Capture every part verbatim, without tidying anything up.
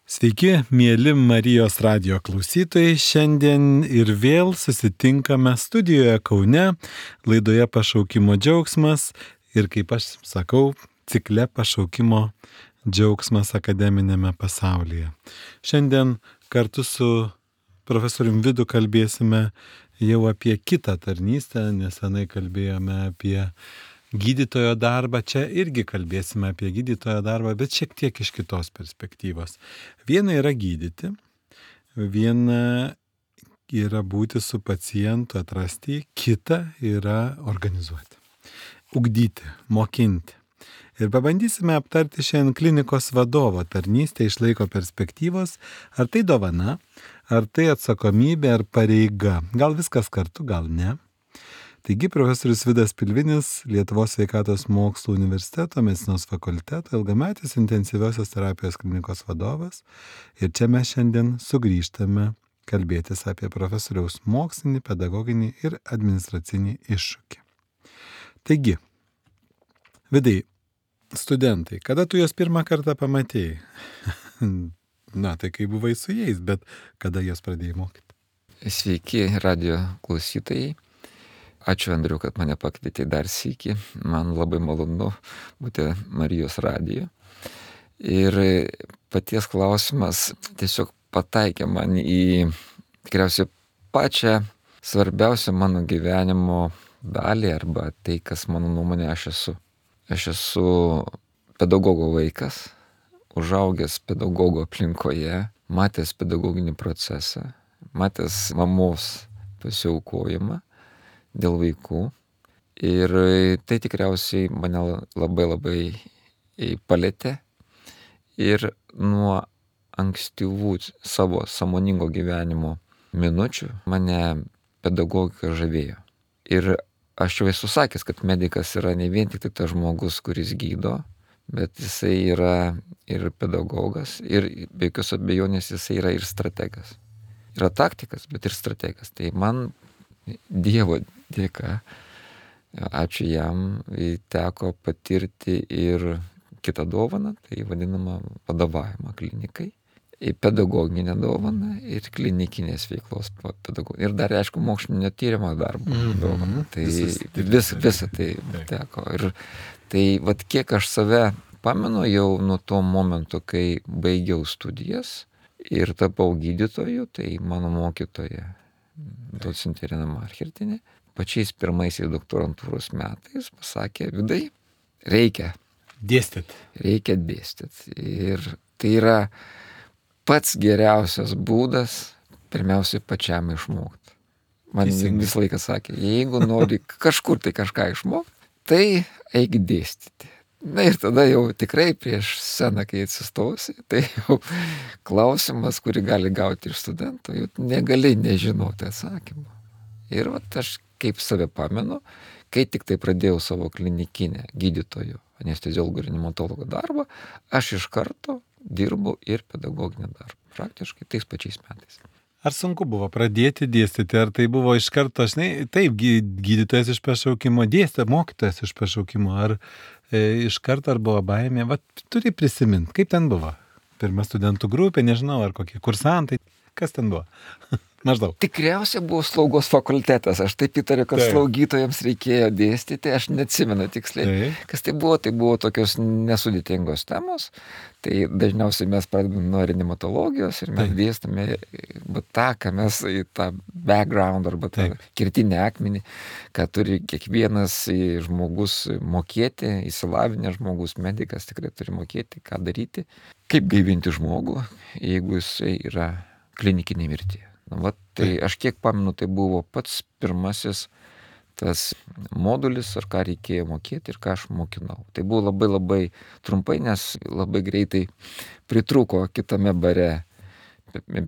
Sveiki, mėly Marijos radijo klausytojai. Šiandien ir vėl susitinkame studijoje Kaune, laidoje Pašaukimo džiaugsmas ir, kaip aš sakau, cikle Pašaukimo džiaugsmas akademinėme pasaulyje. Šiandien kartu su profesoriumi Vidu kalbėsime jau apie kitą tarnystę, nesenai kalbėjome apie gydytojo darbą, čia irgi kalbėsime apie gydytojo darbą, bet šiek tiek iš kitos perspektyvos. Viena yra gydyti, viena yra būti su pacientu, atrasti, kita yra organizuoti, ugdyti, mokinti. Ir pabandysime aptarti šiandien klinikos vadovo tarnystę iš laiko perspektyvos, ar tai dovana, ar tai atsakomybė, ar pareiga. Gal viskas kartu, gal ne. Taigi profesorius Vidas Pilvinis, Lietuvos sveikatos mokslų universiteto medicinos fakulteto ilgametis intensyviosios terapijos klinikos vadovas. Ir čia mes šiandien sugrįžtame kalbėtis apie profesoriaus mokslinį, pedagoginį ir administracinį iššūkį. Taigi, Vidai, studentai, kada tu juos pirmą kartą pamatėjai? Na, tai kai buvai su jais, bet kada juos pradėjai mokyti? Sveiki, radio klausytojai. Ačiū, Andriu, kad mane pakvietė dar sykį. Man labai malonu būti Marijos radijo. Ir paties klausimas tiesiog pataikė man į tikriausiai pačią svarbiausią mano gyvenimo dalį arba tai, kas mano nuomonė aš esu. Aš esu pedagogo vaikas, užaugęs pedagogo aplinkoje, matęs pedagoginį procesą, matęs mamos pasiaukojimą dėl vaikų. Ir tai tikriausiai mane labai labai palėtė. Ir nuo ankstyvų savo sąmoningo gyvenimo minučių mane pedagogika žavėjo. Ir aš jau esu sakęs, kad medikas yra ne vien tik tai tas žmogus, kuris gydo, bet jisai yra ir pedagogas, ir be jokios abejonės jisai yra ir strategas. Yra taktikas, bet ir strategas. Tai man Dievo dėka, ačiū jam, teko patirti ir kitą dovaną, tai vadinamą vadovavimą klinikai, pedagoginę dovaną ir klinikinės veiklos pedagoginę. Ir dar, aišku, mokslinio tyrimo darbo mm-hmm. dovaną. Tai vis, visą tai teko. Ir tai, vat kiek aš save pamenu jau nuo to momento, kai baigiau studijas ir tapau gydytoju, tai mano mokytoja docentė Irena Marchertienė, pačiais pirmaisiais doktorantūros metais pasakė: Vidai, reikia dėstyti. Reikia dėstyti. Ir tai yra pats geriausias būdas pirmiausiai pačiam išmokti. Man visą laiką sakė, jeigu nori kažkur tai kažką išmokti, tai eik dėstyti. Na ir tada jau tikrai prieš sceną, kai atsistosi, tai jau klausimas, kurį gali gauti iš studento, jau negali nežinoti atsakymą. Ir vat aš kaip save pamenu, kai tik tai pradėjau savo klinikinę gydytojų, anesteziologų ir reanimatologų darbą, aš iš karto dirbau ir pedagoginį darbą, praktiškai tais pačiais metais. Ar sunku buvo pradėti dėstyti, ar tai buvo iš karto, aš ne, taip, gydytojas iš pašaukimo, dėstė, mokytojas iš pašaukimo, ar e, iš karto ar buvo baimė, va, turi prisiminti, kaip ten buvo. Pirma studentų grupė, nežinau, ar kokie kursantai, kas ten buvo. Maždaug. Tikriausiai buvo slaugos fakultetas, aš taip įtariu, kad taip. Slaugytojams reikėjo dėstyti, aš neatsimenu tiksliai. Taip. Kas tai buvo, tai buvo tokios nesudėtingos temos, tai dažniausiai mes pradedame nuo reanimatologijos ir mes taip. Dėstame tą, ką mes į tą background arba tą taip. Kirtinį akmenį, ką turi kiekvienas žmogus mokėti, įsilavinęs žmogus, medikas tikrai turi mokėti, ką daryti, kaip gaivinti žmogų, jeigu jisai yra klinikinė mirtyje. Va, tai aš kiek pamenu, tai buvo pats pirmasis tas modulis, ar ką reikėjo mokėti ir ką aš mokinau. Tai buvo labai labai trumpai, nes labai greitai pritrūko kitame bare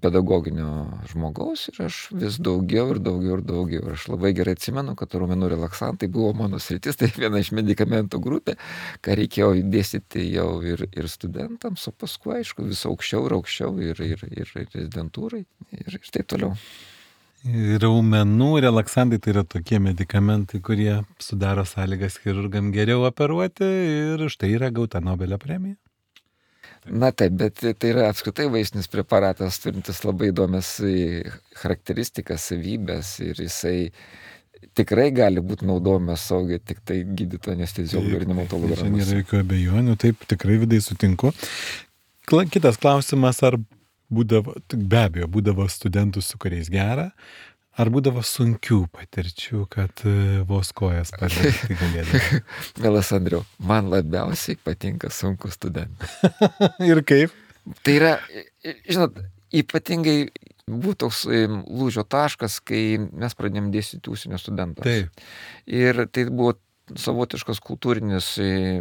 pedagoginio žmogaus ir aš vis daugiau ir daugiau ir daugiau. Ir aš labai gerai atsimenu, kad raumenų relaksantai buvo mano sritis, tai viena iš medikamentų grupė, ką reikėjo dėstyti jau ir, ir studentams, o paskui, aišku, vis aukščiau ir aukščiau ir, ir, ir rezidentūrai ir, ir taip toliau. Raumenų relaksantai tai yra tokie medikamentai, kurie sudaro sąlygas chirurgam geriau operuoti ir už tai yra gauta Nobelio premija. Na taip, bet tai yra apskritai vaistinis preparatas, turintis labai įdomias charakteristikas, savybės ir jisai tikrai gali būti naudojamas saugiai tik tai gydytojo anesteziologo ir neonatologo Čia rankose. nėra jokių abejonių, taip tikrai Vidai sutinku. Kla- Kitas klausimas, ar būdavo, be abejo, būdavo studentų, su kuriais gera, ar būdavo sunkių patirčių, kad e, vos kojas padėti galėdavo. Mielas Andriau, man labiausiai patinka sunkus studentai. Ir kaip? Tai yra, žinot, ypatingai buvo toks lūžio taškas, kai mes pradėjome dėstyti užsienio studentams. Taip. Ir tai buvo savotiškas kultūrinis,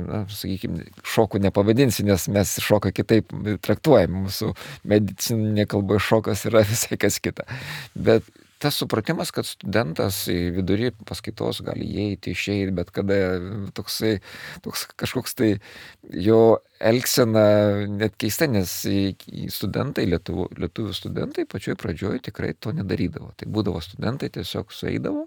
na, sakykime, šokų nepavadinsi, nes mes šoką kitaip traktuojam. Mūsų medicininė kalba šokas yra visai kas kita. Bet tas supratimas, kad studentas vidury paskaitos gali įeiti, išeiti, bet kada toksai, toks kažkoks tai jo elgsena net keista, nes studentai, lietuvių, lietuvių studentai pačioj pradžioj tikrai to nedarydavo. Tai būdavo studentai tiesiog sueidavo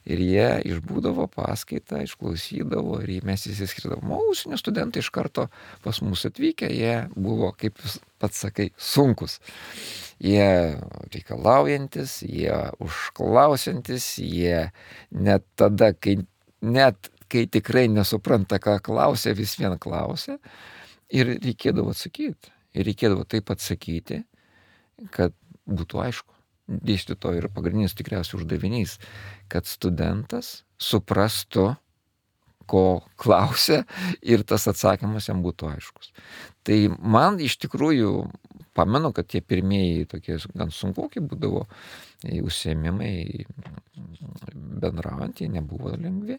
ir jie išbūdavo paskaitą, išklausydavo ir mes įsiskirdavom. O užsienio studentai iš karto pas mus atvykę, jie buvo, kaip pats sakai, sunkus. Jie reikalaujantis, jie užklausiantis, jie net tada, kai, net kai tikrai nesupranta, ką klausia, vis vien klausia. Ir reikėdavo atsakyti. Ir reikėdavo taip atsakyti, kad būtų aišku. Dėstytojo ir pagrindinis tikriausiai uždavinys, kad studentas suprastų, ko klausia ir tas atsakymas jam būtų aiškus. Tai man iš tikrųjų, pamenu, kad tie pirmieji tokie gan sunkoki būdavo užsiėmimai bendraujant, jie nebuvo lengvi,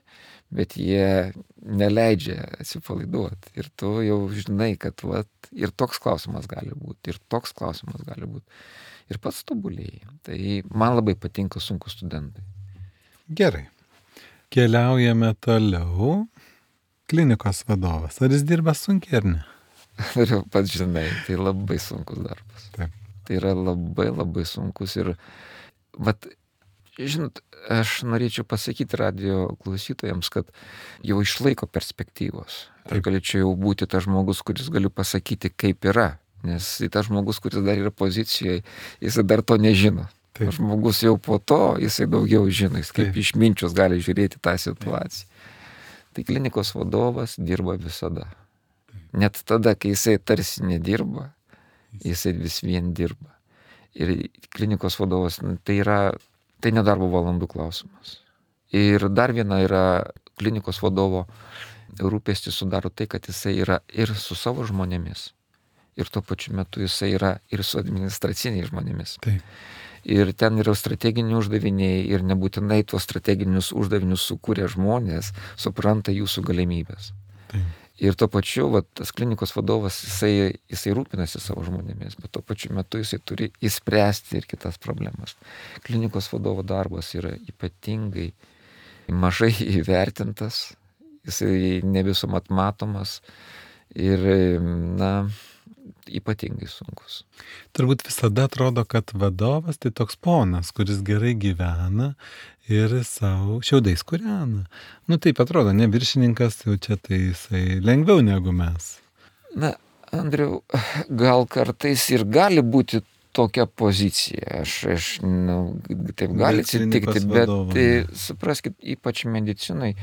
bet jie neleidžia atsipalaiduoti. Ir tu jau žinai, kad vat, ir toks klausimas gali būti, ir toks klausimas gali būti. Ir pats tobulėjai. Tai man labai patinka sunkus studentai. Gerai. Keliaujame toliau. Klinikos vadovas. Ar jis dirba sunkiai ar ne? Ir pats žinai, tai labai sunkus darbas. Taip. Tai yra labai labai sunkus ir, vat, žinot, aš norėčiau pasakyti radio klausytojams, kad jau išlaiko perspektyvos. Aš galėčiau jau būti tas žmogus, kuris galiu pasakyti, kaip yra. Nes tas žmogus, kuris dar yra pozicijoje, jisai dar to nežino. Taip. Žmogus jau po to, jisai daugiau žino, jis kaip Taip. išminčius gali žiūrėti tą situaciją. Taip. Tai klinikos vadovas dirba visada. Taip. Net tada, kai jisai tarsi nedirba, jisai vis vien dirba. Ir klinikos vadovas, tai yra, tai nedarbo valandų klausimas. Ir dar viena yra klinikos vadovo rūpestis sudaro tai, kad jisai yra ir su savo žmonėmis. Ir tuo pačiu metu jisai yra ir su administraciniais žmonėmis. Taip. Ir ten yra strateginiai uždaviniai ir nebūtinai tuos strateginius uždavinius sukūrė žmonės, supranta jūsų galimybės. Taip. Ir tuo pačiu, va, tas klinikos vadovas, jisai, jisai rūpinasi savo žmonėmis, bet tuo pačiu metu jisai turi įspręsti ir kitas problemas. Klinikos vadovo darbas yra ypatingai mažai įvertintas, jisai ne visuomet matomas ir, na, ypatingai sunkus. Turbūt visada atrodo, kad vadovas tai toks ponas, kuris gerai gyvena ir savo šiaudais kūrena. Nu taip atrodo, ne viršininkas, jau čia tai jisai lengviau negu mes. Na, Andriau, gal kartais ir gali būti tokia pozicija. Aš, aš nu, taip gali atsitikti, bet tai, supraskit, ypač medicinai,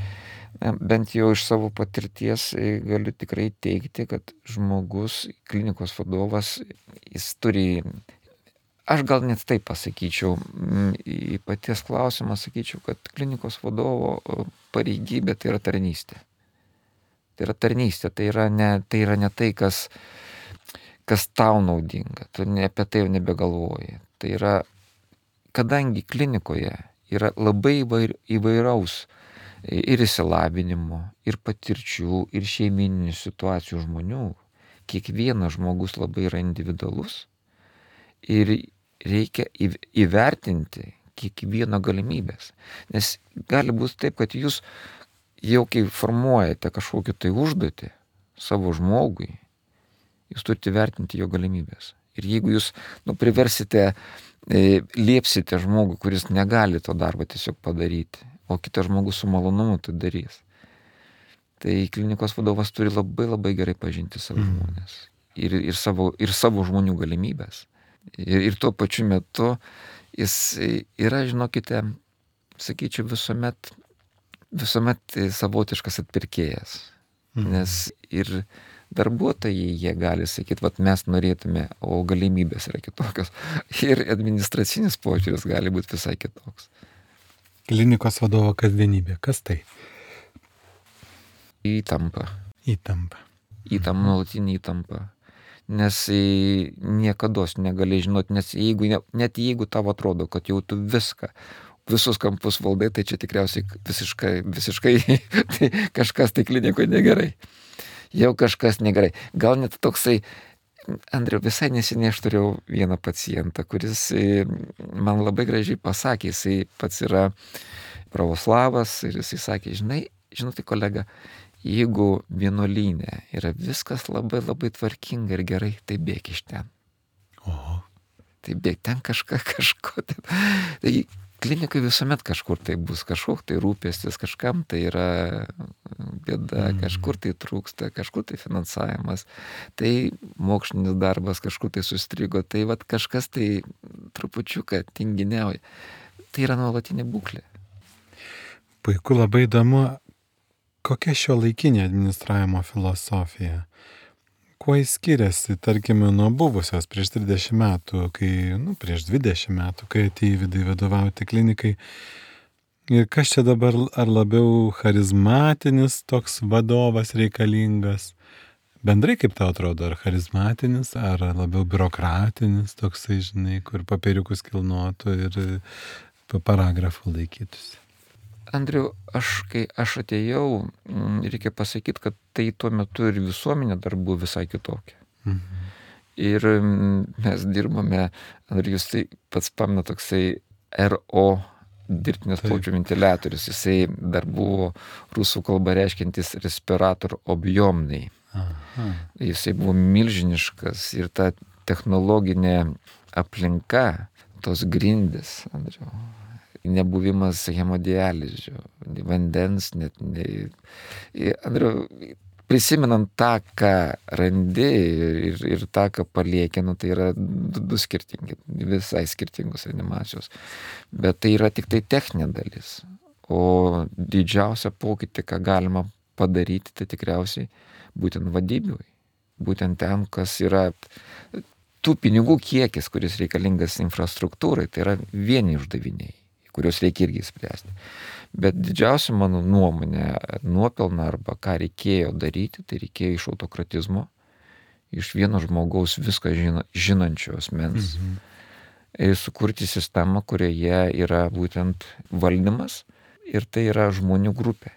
bent jau iš savo patirties galiu tikrai teigti, kad žmogus, klinikos vadovas, jis turi, aš gal net taip pasakyčiau, į paties klausimą sakyčiau, kad klinikos vadovo pareigybė tai yra tarnystė. Tai yra tarnystė, tai yra ne tai, yra ne tai kas, kas tau naudinga, tu ne, apie tai jau nebegalvoji. Tai yra, kadangi klinikoje yra labai įvair, įvairaus ir įsilavinimo, ir patirčių, ir šeimininių situacijų žmonių. Kiekvienas žmogus labai yra individualus ir reikia įvertinti kiekvieno galimybės. Nes gali būti taip, kad jūs jau kai formuojate kažkokį tai užduotį savo žmogui, jūs turite vertinti jo galimybės. Ir jeigu jūs nu, priversite, e, liepsite žmogui, kuris negali to darbo tiesiog padaryti, o kitas žmogus su malonumu tai darys. Tai klinikos vadovas turi labai labai gerai pažinti savo žmonės. ir, ir, savo, ir savo žmonių galimybės. Ir, ir tuo pačiu metu jis yra, žinokite, sakyčiau, visuomet, visuomet savotiškas atpirkėjas. Mhm. Nes ir darbuotojai, jie gali sakyti, vat mes norėtume, o galimybės yra kitokios. Ir administracinis požiūris gali būti visai kitoks. Klinikos vadovo kasdienybė. Kas tai? Įtampa. Įtampa. Įtampa, nuolatinė įtampa. Nes niekados negali žinoti, nes jeigu, net jeigu tau atrodo, kad jau tu viską, visus kampus valdai, tai čia tikriausiai visiškai, visiškai tai kažkas tai klinikoje negerai. Jau kažkas negerai. Gal net toksai, Andriau, visai neseniai aš turėjau vieną pacientą, kuris man labai gražiai pasakė, jisai pats yra pravoslavas ir jisai sakė, žinai, žinote kolega, jeigu vienuolyne yra viskas labai labai tvarkinga ir gerai, tai bėk iš ten. Oho. Tai bėk ten kažką, kažko. Tai klinikai visuomet kažkur tai bus, kažkoks tai rūpestis, kažkam tai yra bėda, mm. kažkur tai trūksta, kažkur tai finansavimas, tai mokslinis darbas kažkur tai sustrigo, tai vat kažkas tai trupučiuką tinginiauja. Tai yra nuolatinė būklė. Puiku, labai įdomu. Kokia šio laikinė administravimo filosofija? Kuo jis skiriasi, tarkime, nuo buvusios prieš trisdešimt metų, kai, nu, prieš dvidešimt metų, kai atėjo Vidai vadovauti klinikai? Ir kas čia dabar, ar labiau charizmatinis toks vadovas reikalingas? Bendrai kaip tau atrodo, ar charizmatinis, ar labiau biurokratinis, toksai, žinai, kur papiriukus kilnotų ir paragrafų laikytųsi? Andriu, aš, kai aš atėjau, reikia pasakyti, kad tai tuo metu ir visuomenė dar buvo visai kitokia. Mhm. Ir mes dirbame, Andriu, jūs tai pats pamena toksai R O dirbtinės plaučių ventiliatorius. Jisai dar buvo rusų kalba reiškiantis respirator objomnai. Aha. Jisai buvo milžiniškas ir ta technologinė aplinka, tos grindys, Andriu, nebuvimas hemodializių, vandens, net ne... Andriu, prisimenant tą, ką randi ir, ir tą, ką palieki, nu, tai yra du, du skirtingi, visai skirtingos reanimacijos. Bet tai yra tik tai techninė dalis. O didžiausia pokytį, ką galima padaryti, tai tikriausiai būtent vadybiui. Būtent ten, kas yra tų pinigų kiekis, kuris reikalingas infrastruktūrai, tai yra vieni uždaviniai, kuriuos reikia irgi spręsti. Bet didžiausia mano nuomonė, nuopelna arba ką reikėjo daryti, tai reikėjo iš autokratizmo, iš vieno žmogaus viską žino, žinančio asmens, mhm. ir sukurti sistemą, kurioje yra būtent valdymas ir tai yra žmonių grupė.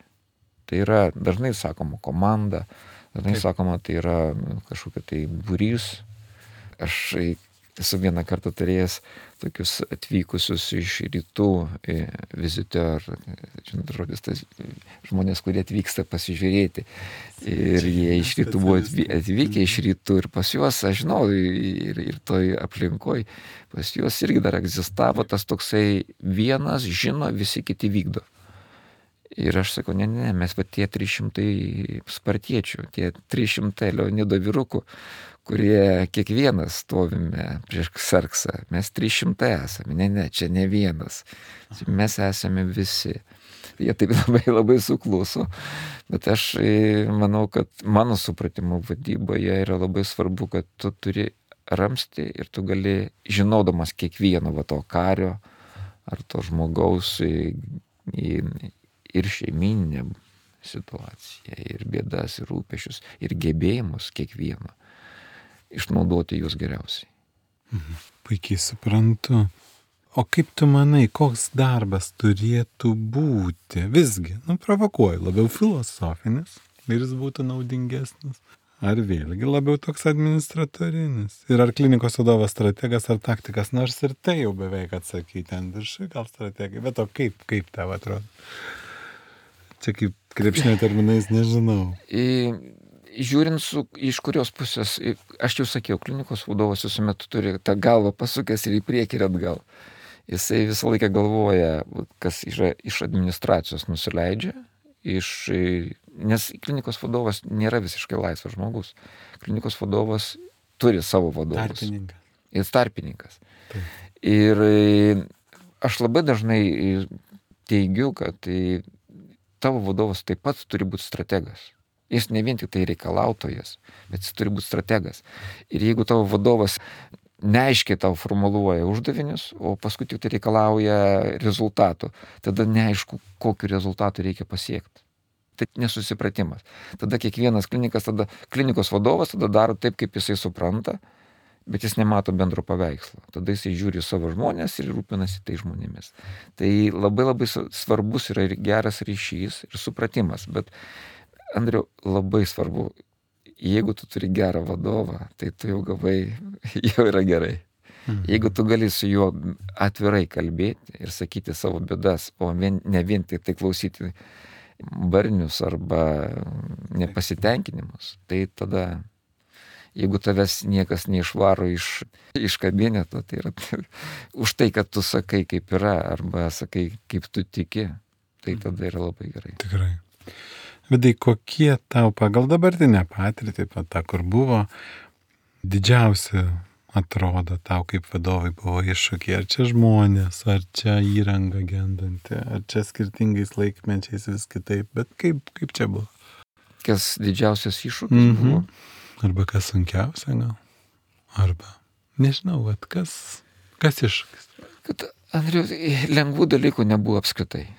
Tai yra, dažnai sakoma, komanda, dažnai Taip. sakoma, tai yra kažkokia tai būrys. Aš esu vieną kartą turėjęs tokius atvykusius iš rytų vizitor, žinot, žodis, tas žmonės, kurie atvyksta pasižiūrėti. Ir jie iš rytų buvo atvykę iš rytų ir pas juos, aš žinau, ir, ir toj aplinkoj, pas juos irgi dar egzistavo tas toksai vienas žino, visi kiti vykdo. Ir aš sakau, ne, ne, mes va tie trys šimtai spartiečių, tie trys šimtai Leonido vyrukų, kurie kiekvienas stovime prieš Ksarksą, mes trys šimtai esame, ne, ne, čia ne vienas, mes esame visi. Jie taip labai labai sukluso, bet aš manau, kad mano supratimo vadyboje yra labai svarbu, kad tu turi ramsti ir tu gali, žinodamas kiekvieno va to kario ar to žmogaus ir šeiminę situaciją, ir bėdas, ir rūpešius, ir gebėjimus kiekvieno, išnaudoti juos geriausiai. Mhm. Puikiai suprantu. O kaip tu manai, koks darbas turėtų būti? Visgi, nu, provokuoju, labiau filosofinis ir jis būtų naudingesnis. Ar vėlgi labiau toks administratorinis? Ir ar klinikos vadovas strategas ar taktikas, nors ir tai jau beveik atsakyti, ten viršui gal strategai, bet o kaip, kaip tau atrodo? Čia kaip krepšinio terminais nežinau. I, žiūrint, su, iš kurios pusės, aš jau sakiau, klinikos vadovas visuomet turi tą galvą pasukęs ir į priekį ir atgal. Jisai visą laiką galvoja, kas yra iš administracijos nusileidžia, iš Nes klinikos vadovas nėra visiškai laisvas žmogus. Klinikos vadovas turi savo vadovus. Tarpininkas. Jis tarpininkas. Taip. Ir aš labai dažnai teigiu, kad tavo vadovas taip pat turi būti strategas. Jis ne vien tik tai reikalautojas, bet jis turi būti strategas. Ir jeigu tavo vadovas neaiškiai tau formuluoja uždavinius, o paskui tik tai reikalauja rezultatų, tada neaišku, kokiu rezultatu reikia pasiekti. Tai nesusipratimas. Tada kiekvienas klinikas, tada klinikos vadovas tada daro taip, kaip jisai supranta, bet jis nemato bendro paveikslo. Tada jisai žiūri savo žmonės ir rūpinasi tai žmonėmis. Tai labai labai svarbus yra ir geras ryšys ir supratimas. Bet, Andriau, labai svarbu, jeigu tu turi gerą vadovą, tai tu jau gavai, jau yra gerai. Mhm. Jeigu tu gali su juo atvirai kalbėti ir sakyti savo bėdas, o vien, ne vien tik tai klausyti barnius arba nepasitenkinimus, tai tada, jeigu tavęs niekas neišvaro iš, iš kabineto, tai yra už tai, kad tu sakai, kaip yra, arba sakai, kaip tu tiki, tai tada yra labai gerai. Tikrai. Vidai, kokie tau pagal dabartinę patirtį, tą, kur buvo, didžiausi atrodo tau kaip vadovai buvo iššūkiai? Ar čia žmonės, ar čia įranga gendanti, ar čia skirtingais laikmečiais vis kitaip, bet kaip, kaip čia buvo? Kas didžiausias iššūkis Mhm. buvo? Arba kas sunkiausia gal? Arba, nežinau, vat, kas, kas iššūkis? Kad, Andriu, lengvų dalykų nebuvo apskritai.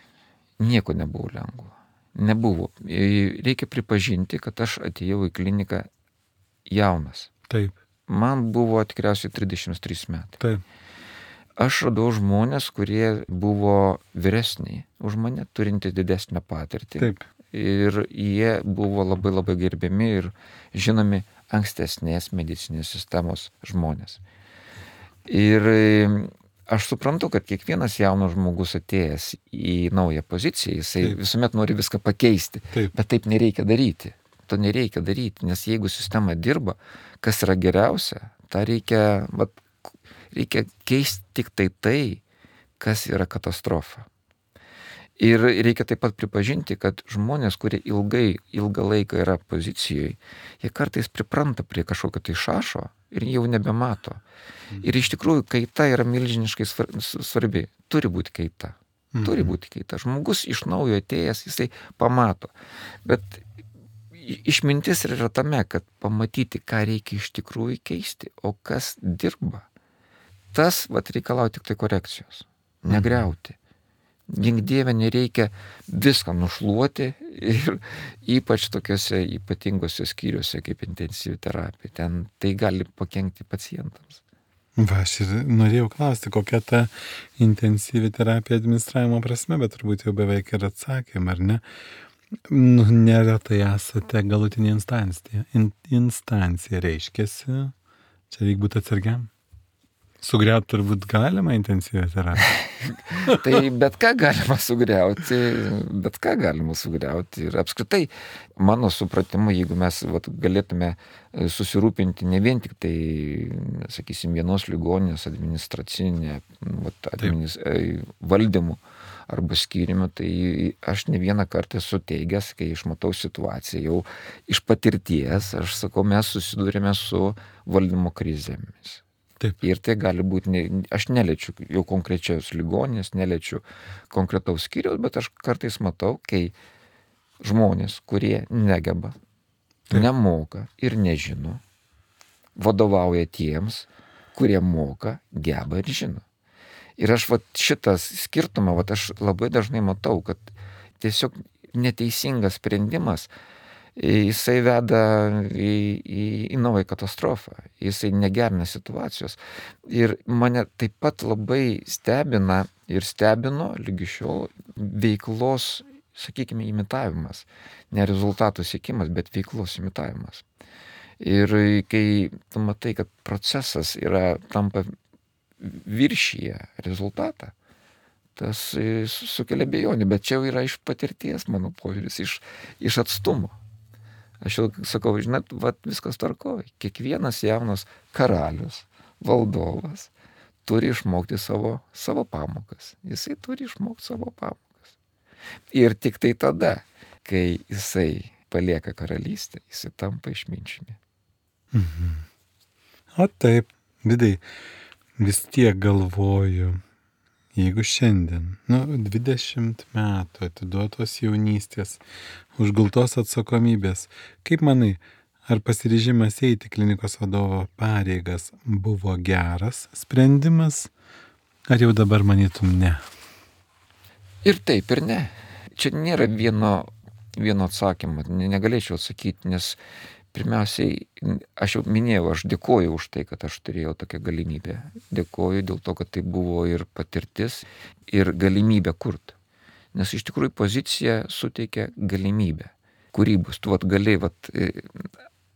Nieko nebuvo lengvo. Nebuvo. Reikia pripažinti, kad aš atėjau į kliniką jaunas. Taip. Man buvo tikriausiai trisdešimt trys metai. Taip. Aš radau žmonės, kurie buvo vyresniai už mane, turinti didesnę patirtį. Taip. Ir jie buvo labai labai gerbiami ir žinomi ankstesnės medicinės sistemos žmonės. Ir aš suprantu, kad kiekvienas jaunas žmogus atėjęs į naują poziciją, jisai taip. Visuomet nori viską pakeisti, taip. Bet taip nereikia daryti. To nereikia daryti, nes jeigu sistema dirba, kas yra geriausia, tą reikia, vat, reikia keisti tik tai tai, kas yra katastrofa. Ir reikia taip pat pripažinti, kad žmonės, kurie ilgai, ilgą laiką yra pozicijoje, jie kartais pripranta prie kažkokio tai šašo ir jau nebemato. Ir iš tikrųjų kaita yra milžiniškai svarbi. Turi būti kaita. Turi būti kaita. Žmogus iš naujo atėjęs, jisai pamato. Bet išmintis yra tame, kad pamatyti, ką reikia iš tikrųjų keisti, o kas dirba. Tas vat, reikalauja tik tai korekcijos. Negriauti. Gink Dieve, nereikia viską nušluoti ir ypač tokiuose ypatingose skyriuose kaip intensyvi terapija. Ten tai gali pakenkti pacientams. Va, aš ir norėjau klausti, kokia ta intensyvi terapija administravimo prasme, bet turbūt jau beveik ir atsakėm, ar ne? Nu, neretai esate galutinė instancija. In, instancija reiškiasi, čia reikia būti atsargiam. Sugriauti turbūt galima intensyvią terapiją. Tai bet ką galima sugriauti, bet ką galima sugriauti. Ir apskritai, mano supratimu, jeigu mes vat, galėtume susirūpinti ne vien tik tai, sakysim, vienos ligoninės administracinė vat, administ... valdymu arba skyrimu, tai aš ne vieną kartą esu teigęs, kai išmatau situaciją jau iš patirties, aš sakau, mes susidūrėme su valdymo krizėmis. Taip. Ir tai gali būti, ne, aš neliečiu jau konkrečios ligoninės, neliečiu konkretaus skyriaus, bet aš kartais matau, kai žmonės, kurie negeba, taip. Nemoka ir nežino, vadovauja tiems, kurie moka, geba ir žino. Ir aš vat, šitas skirtumą, vat, aš labai dažnai matau, kad tiesiog neteisingas sprendimas, jisai veda į, į, į naują katastrofą, jisai negerina situacijos. Ir mane taip pat labai stebina ir stebino lygi šiol veiklos, sakykime, imitavimas. Ne rezultatų siekimas, bet veiklos imitavimas. Ir kai tu matai, kad procesas yra tampa viršyje rezultatą, tas sukelia abejonių, bet čia jau yra iš patirties, mano požiūris, iš, iš atstumo. Aš jau sakau, žinot, vat, viskas tvarkoja. Kiekvienas jaunas karalius, valdovas turi išmokti savo, savo pamokas. Jisai turi išmokti savo pamokas. Ir tik tai tada, kai jisai palieka karalystę, jisai tampa išminčiumi. Mhm. O taip, Vidai, vis tiek galvoju, jeigu šiandien, nu, dvidešimt metų atiduotos jaunystės, užgultos atsakomybės, kaip manai, ar pasiryžimas eiti klinikos vadovo pareigas buvo geras sprendimas, ar jau dabar manytum ne? Ir taip, ir ne. Čia nėra vieno, vieno atsakymo, negalėčiau atsakyti, nes pirmiausiai, aš jau minėjau, aš dėkoju už tai, kad aš turėjau tokią galimybę. Dėkoju dėl to, kad tai buvo ir patirtis, ir galimybė kurti. Nes iš tikrųjų pozicija suteikia galimybę. Kūrybos, tu vat gali, vat,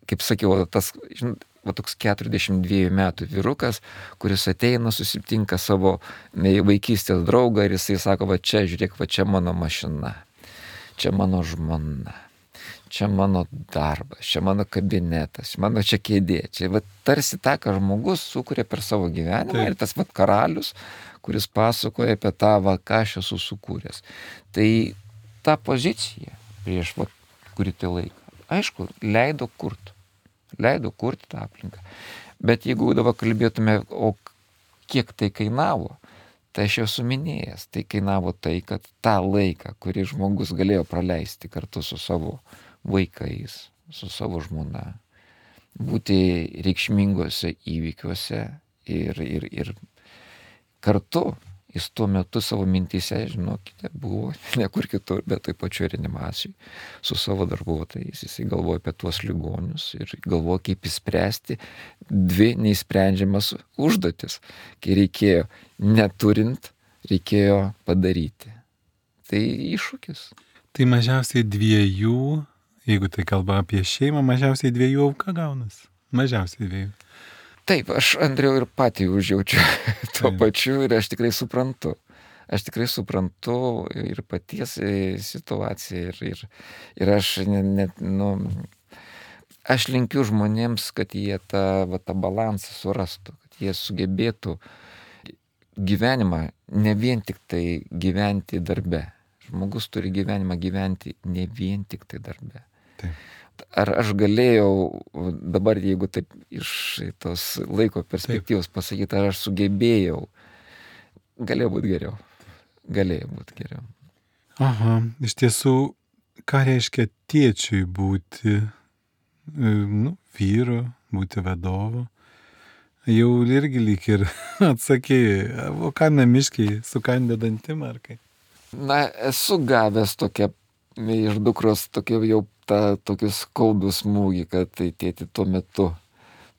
kaip sakiau, tas, žinot, va toks keturiasdešimt dviejų metų vyrukas, kuris ateina, susitinka savo vaikystės draugą ir jisai sako, va čia, žiūrėk, va čia mano mašina, čia mano žmona, čia mano darbas, čia mano kabinetas, mano čia kėdė. Čia va tarsi tą, ką žmogus sukuria per savo gyvenimą. Taip. Ir tas va karalius, kuris pasakoja apie tą, va, ką aš esu sukūręs. Tai ta pozicija prieš va kurį tai laiką, aišku, leido kurti. Leido kurti tą aplinką. Bet jeigu dabar kalbėtume, o kiek tai kainavo, tai aš jau suminėjęs, tai kainavo tai, kad tą laiką, kurį žmogus galėjo praleisti kartu su savo vaikais, su savo žmona, būti reikšmingose įvykiuose ir, ir, ir kartu jis tuo metu savo mintyse, žinokite, buvo ne kur kitur, bet taip pačiu reanimacijai su savo darbuotojais. Jisai galvoja apie tuos ligonius ir galvoja, kaip įspręsti dvi neįsprendžiamas užduotis, kai reikėjo neturint, reikėjo padaryti. Tai iššūkis. Tai mažiausiai dviejų, jeigu tai kalba apie šeimą, mažiausiai dviejų auka gaunas. Mažiausiai dviejų. Taip, aš, Andriau, ir patį užjaučiu tuo pačiu ir aš tikrai suprantu. Aš tikrai suprantu ir paties situaciją ir, ir, ir aš net, nu, aš linkiu žmonėms, kad jie tą, va, tą balansą surastų, kad jie sugebėtų gyvenimą ne vien tik tai gyventi darbe. Žmogus turi gyvenimą gyventi ne vien tik tai darbe. Taip. Ar aš galėjau dabar, jeigu taip iš tos laiko perspektyvos pasakyti, ar aš sugebėjau, galėjo būti geriau. Galėjo būti geriau. Aha, iš tiesų, ką reiškia tėčiui būti, nu, vyru, būti vadovu? Jau irgi lyg ir atsakėjai, o ką namiškiai, sukandė dantim ar kaip? Na, esu gavęs tokią iš dukros tokia jau tą tokį skaudų smūgį, kad tai tėti tuo metu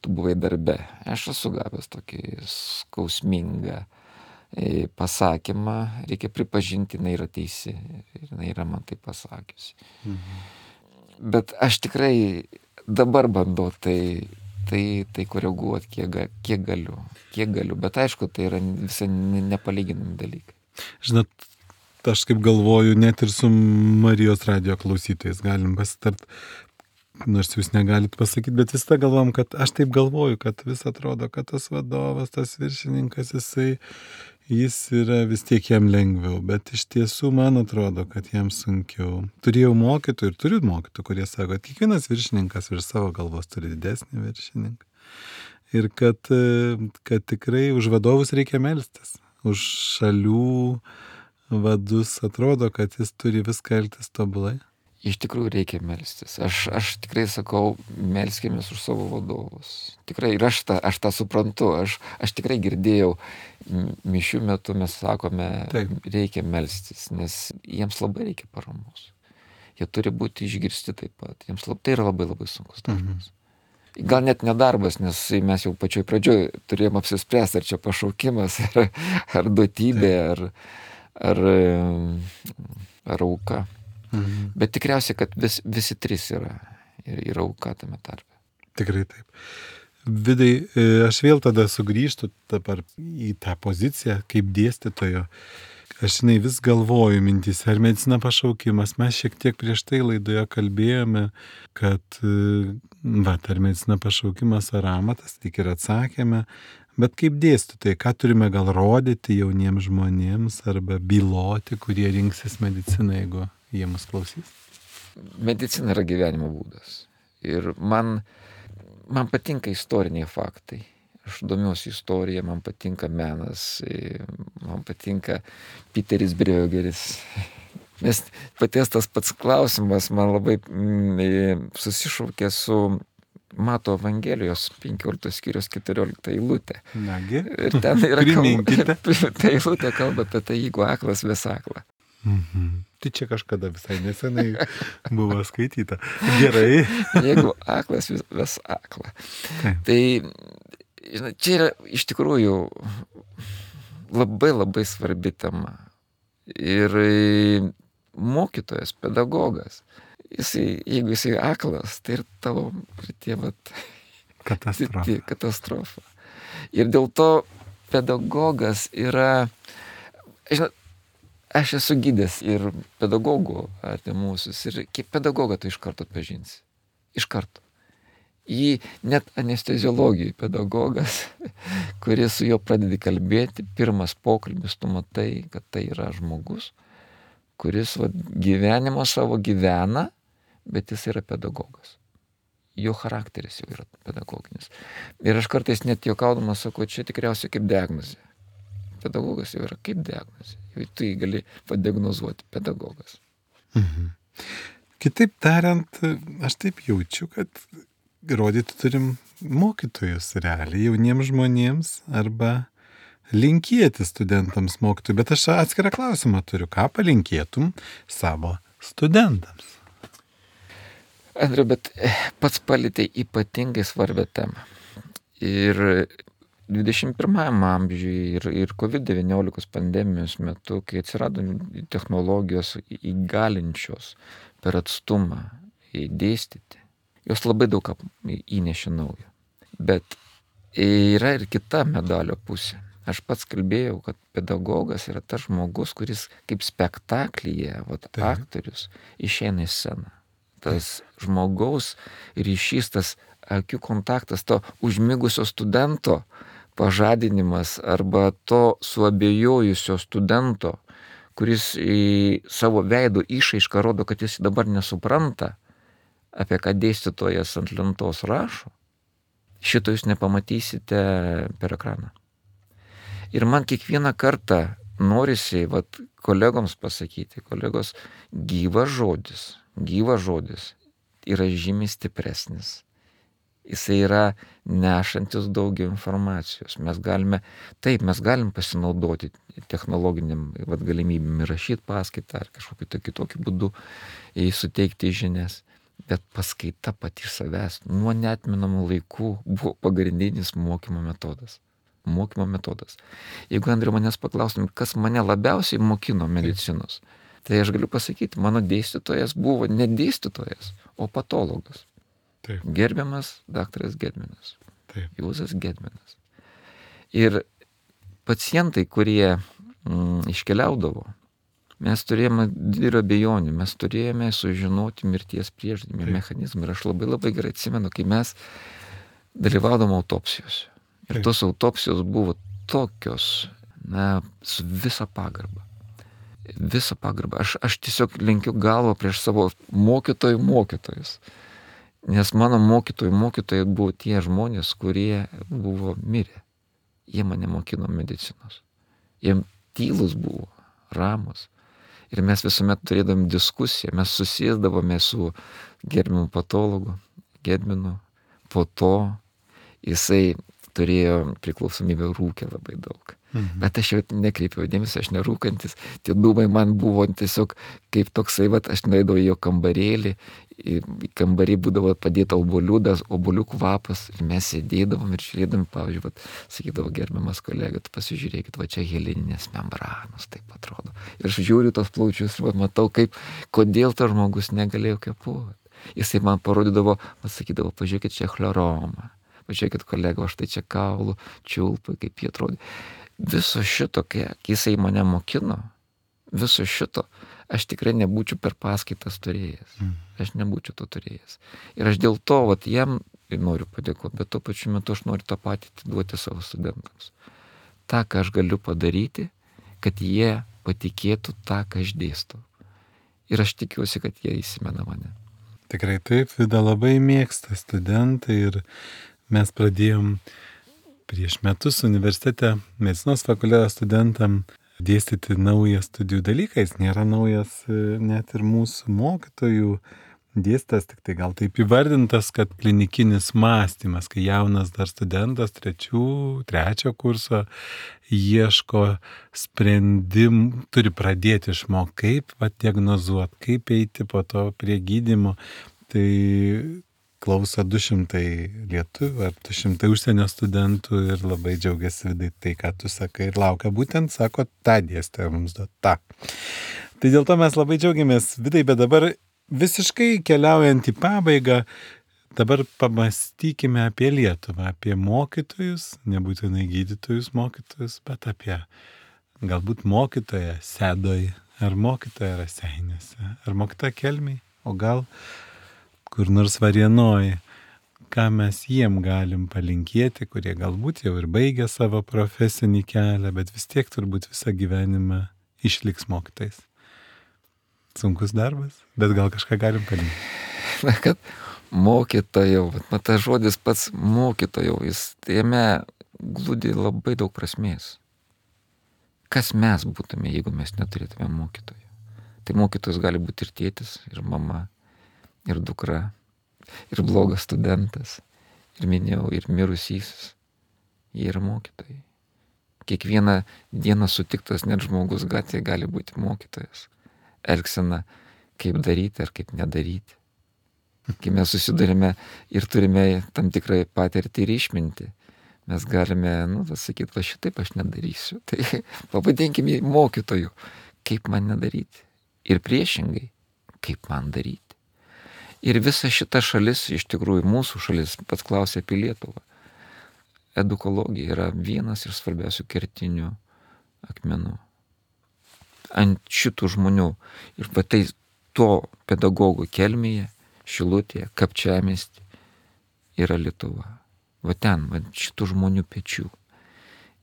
tu buvai darbe. Aš esu gavęs tokį skausmingą pasakymą, reikia pripažinti, jinai yra teisi, jinai yra man tai pasakiusi. Mhm. Bet aš tikrai dabar bandau tai, tai, tai koreguoti, kiek, kiek galiu, kiek galiu, bet aišku, tai yra visai nepalyginami dalykai. Žinot, aš kaip galvoju, net ir su Marijos radijo klausytojais galim pasitart, nors jūs negalit pasakyti, bet vis tą galvom, kad aš taip galvoju, kad vis atrodo, kad tas vadovas, tas viršininkas, jisai, jis yra vis tiek jam lengviau, bet iš tiesų man atrodo, kad jam sunkiau. Turėjau mokytojų ir turiu mokytojų, kurie sako, kad kiekvienas viršininkas virš savo galvos turi didesnį viršininką. Ir kad, kad tikrai už vadovus reikia melstis, už šalių vadus atrodo, kad jis turi viską elgtis tobulai. Iš tikrųjų reikia melstis. Aš, aš tikrai sakau, melskimės už savo vadovus. Tikrai, ir aš tą, aš tą suprantu. Aš, aš tikrai girdėjau, mišių metu mes sakome, Taip. reikia melstis, nes jiems labai reikia paramos. Jie turi būti išgirsti taip pat. Jiems lab, tai yra labai labai sunkus darbas. Mhm. Gal net nedarbas, nes mes jau pačioj pradžioj turėjom apsispręsti, ar čia pašaukimas, ar, ar duotybė, ar ar, ar auka. Mhm. Bet tikriausiai, kad vis, visi trys yra ir, ir auka tame tarpe. Tikrai taip. Vidai, aš vėl tada sugrįžtu dabar į tą poziciją kaip dėstytojo. Aš žinai, vis galvoju mintys, ar medicina pašaukimas. Mes šiek tiek prieš tai laidoje kalbėjome, kad va, ar medicina pašaukimas ar amatas, tik ir atsakėme. Bet kaip dėstytojai, ką turime gal rodyti jauniems žmonėms arba byloti, kurie rinksis mediciną, jeigu jie mus klausys? medicina yra gyvenimo būdas. Ir man, man patinka istoriniai faktai. Aš domiuosi istorija, man patinka menas, man patinka Peteris Briogeris. Nes paties tas pats klausimas man labai mm, susišaukė su Mato Evangelijos penkioliktos skyrius keturiolikta eilutė. Nagi, Ir ten yra priminkite. kalba, ta eilutė kalba apie tai, jeigu aklas ves aklą. Mhm. Tai čia kažkada visai nesenai buvo skaityta. Gerai. Jeigu aklas vis- ves aklą. Taip. Tai žinai, čia yra iš tikrųjų labai labai svarbi tema. Ir mokytojas, pedagogas, jisai, jeigu jisai aklas, tai ir tavo ir tie vat, Katastrofa. tie katastrofa. Ir dėl to pedagogas yra, žinot, aš esu gydęs ir pedagogų artimuosius, ir kaip pedagogą tu iš karto atpažinsi. Iš karto. Jį net anesteziologijai pedagogas, kuris su juo pradedi kalbėti, pirmas pokalbis, tu matai, kad tai yra žmogus, kuris va, gyvenimo savo gyvena, bet jis yra pedagogas. Jo charakteris jau yra pedagoginis. Ir aš kartais net juokaudamas sakau, čia tikriausiai kaip diagnozė. Pedagogas jau yra kaip diagnozė. Jau tu jį gali padiagnozuoti, pedagogas. Mhm. Kitaip tariant, aš taip jaučiu, kad rodyti turim mokytojus realiai jauniems žmonėms arba linkėti studentams mokytojų. Bet aš atskirą klausimą turiu. Ką palinkėtum savo studentams? Andriu, bet pats palietė ypatingai svarbią temą. Ir dvidešimt pirmajam amžiui ir, ir kovid devyniolika pandemijos metu, kai atsirado technologijos įgalinčios per atstumą dėstyti, jos labai daug įnešė naujo. Bet yra ir kita medalio pusė. Aš pats kalbėjau, kad pedagogas yra tas žmogus, kuris kaip spektaklyje, vat, aktorius, išeina į sceną. Tas žmogaus ryšys, tas akių kontaktas, to užmigusio studento pažadinimas arba to suabejojusio studento, kuris į savo veido išraišką rodo, kad jis dabar nesupranta, apie ką dėstytojas ant lentos rašo, šito jūs nepamatysite per ekraną. Ir man kiekvieną kartą norisi vat, kolegoms pasakyti, kolegos, gyvas žodis, gyvas žodis yra žymiai stipresnis. Jisai yra nešantis daugiau informacijos. Mes galime, taip, mes galim pasinaudoti technologiniam vat, galimybėm rašyti paskaitą ar kažkokiu tai kitokiu būdu suteikti žinias. Bet paskaita pati savęs nuo neatmenamų laikų buvo pagrindinis mokymo metodas. Mokymo metodas. Jeigu, Andriu, manęs paklaustum, kas mane labiausiai mokino medicinos, tai aš galiu pasakyti, mano dėstytojas buvo ne dėstytojas, o patologas. Taip. Gerbiamas daktaras Gedminas. Taip. Juozas Gedminas. Ir pacientai, kurie mm, iškeliaudavo, mes turėjome didelio abejonių, mes turėjome sužinoti mirties prieždymį mechanizmą. Ir aš labai labai gerai atsimenu, kai mes dalyvaudom autopsijose. Ir tos autopsijos buvo tokios, na, su visa pagarba. Visa pagarba. Aš, aš tiesiog lenkiu galvą prieš savo mokytojų mokytojus. Nes mano mokytojų mokytojai buvo tie žmonės, kurie buvo mirę. Jie mane mokino medicinos. Jie tylus buvo, ramus. Ir mes visuomet turėdami diskusiją, mes susėsdavome su gerbiamu patologu, Gedminu. Po to jisai turėjo priklausomybę, rūkė labai daug. Mhm. Bet aš jau nekreipiau dėmesio, aš nerūkantis. Tie dūmai man buvo tiesiog kaip toksai, vat, aš nueidavau į jo kambarėlį, į kambarį būdavo padėta obuoliudas, obuolių kvapas, ir mes sėdėdavom ir žiūrėdami, pavyzdžiui, vat, sakydavo, gerbiamas kolega, tu pasižiūrėkit, va čia heleninės membranos, taip atrodo. Ir aš žiūriu tos plaučius, vat, matau, kaip, kodėl tas žmogus negalėjo kvėpuoti. Jisai man parodydavo, vat, sakydavo, pažiūrėkit, čia chloroma. Pažiūrėkit, kolega, aš tai čia kaulų, čiulpai, kaip jie atrodė. Viso šito, kai jisai mane mokino, viso šito, aš tikrai nebūčiau per paskaitas turėjęs. Mm. Aš nebūčiau to turėjęs. Ir aš dėl to, vat, jam noriu padėkoti, bet tuo pačiu metu aš noriu tą patį duoti savo studentams. Ta, ką aš galiu padaryti, kad jie patikėtų tą, ką aš dėstau. Ir aš tikiuosi, kad jie įsimena mane. Tikrai taip, Vida labai mėgsta studentai ir mes pradėjom prieš metus universitete medicinos fakulteto studentam dėstyti naują studijų dalyką. Jis nėra naujas net ir mūsų mokytojų dėstas, tik tai gal taip įvardintas, kad klinikinis mąstymas, kai jaunas dar studentas trečių, trečio kurso ieško sprendimų, turi pradėti išmokti, kaip va, diagnozuoti, kaip eiti po to prie gydymo. Tai klauso du šimtai lietuvių ar du šimtai užsienio studentų ir labai džiaugiasi Vidai tai, ką tu sakai ir laukia būtent, sako, tą dėstytoją mums duot, tą. Tai dėl to mes labai džiaugiamės, Vidai, bet dabar visiškai keliaujant į pabaigą, dabar pamastykime apie Lietuvą, apie mokytojus, nebūtinai gydytojus mokytojus, bet apie galbūt mokytoją Sedoj, ar mokytoją Raseiniuose, ar mokytoją Kelmėj, o gal kur nors Varėnoj, ką mes jiem galim palinkėti, kurie galbūt jau ir baigė savo profesinį kelią, bet vis tiek turbūt visą gyvenimą išliks mokytojais. Sunkus darbas, bet gal kažką galim palinkėti. Na, kad mokytojau, bet tas žodis pats mokytojau, jis jame glūdi labai daug prasmės. Kas mes būtume, jeigu mes neturėtume mokytojų? Tai mokytojas gali būti ir tėtis, ir mama, ir dukra, ir blogas studentas, ir minėjau, ir mirusysis. Jie yra mokytojai. Kiekvieną dieną sutiktas net žmogus gatvėje gali būti mokytojas. Elgsena, kaip daryti ar kaip nedaryti. Kai mes susidurime ir turime tam tikrą patirtį ir išmintį, mes galime, nu, sakyti, va šitaip aš nedarysiu. Tai pavadinkime mokytoju, kaip man nedaryti. Ir priešingai, kaip man daryti. Ir visa šita šalis, iš tikrųjų mūsų šalis, pats klausė apie Lietuvą. Edukologija yra vienas iš svarbiausių kertinių akmenų. Ant šitų žmonių. Ir va tai to pedagogų Kelmėje, Šilutėje, Kapčiamiestyje yra Lietuva. Va ten, va šitų žmonių pečių.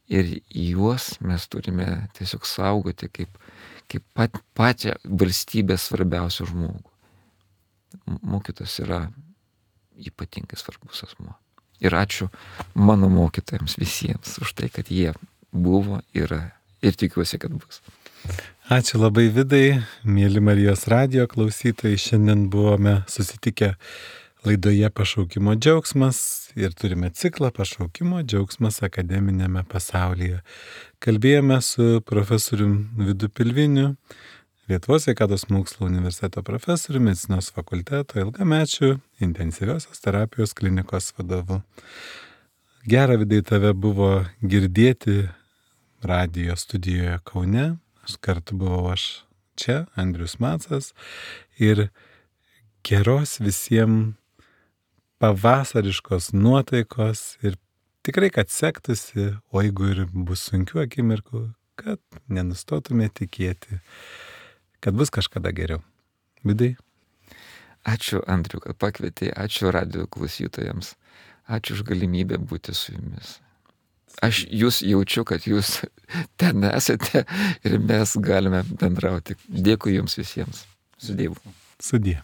Ir juos mes turime tiesiog saugoti kaip, kaip pat, pačią valstybės svarbiausią žmogų. Mokytojas yra ypatingai svarbus asmuo. Ir ačiū mano mokytojams visiems už tai, kad jie buvo, yra ir tikiuosi, kad bus. Ačiū labai Vidai, mėly Marijos radijo klausytojai. Šiandien buvome susitikę laidoje Pašaukimo džiaugsmas ir turime ciklą Pašaukimo džiaugsmas akademinėme pasaulyje. Kalbėjome su profesorium Vidu Pilviniu, Lietuvos sveikatos mokslo universiteto profesoriumi, medicinos fakulteto ilgamečiu intensyviosios terapijos klinikos vadovu. Gera, Vidai, tave buvo girdėti radijo studijoje Kaune. Aš kartu buvau aš čia, Andrius Macas, ir geros visiems pavasariškos nuotaikos ir tikrai, kad sektųsi, o jeigu ir bus sunkių akimirkų, kad nenustotume tikėti, kad bus kažkada geriau. Vidai. Ačiū, Andriu, kad pakvietei, ačiū radijo klausytojams, ačiū už galimybę būti su jumis. Aš jūs jaučiu, kad jūs ten esate ir mes galime bendrauti. Dėkui jums visiems. Su Dievu. Sudie.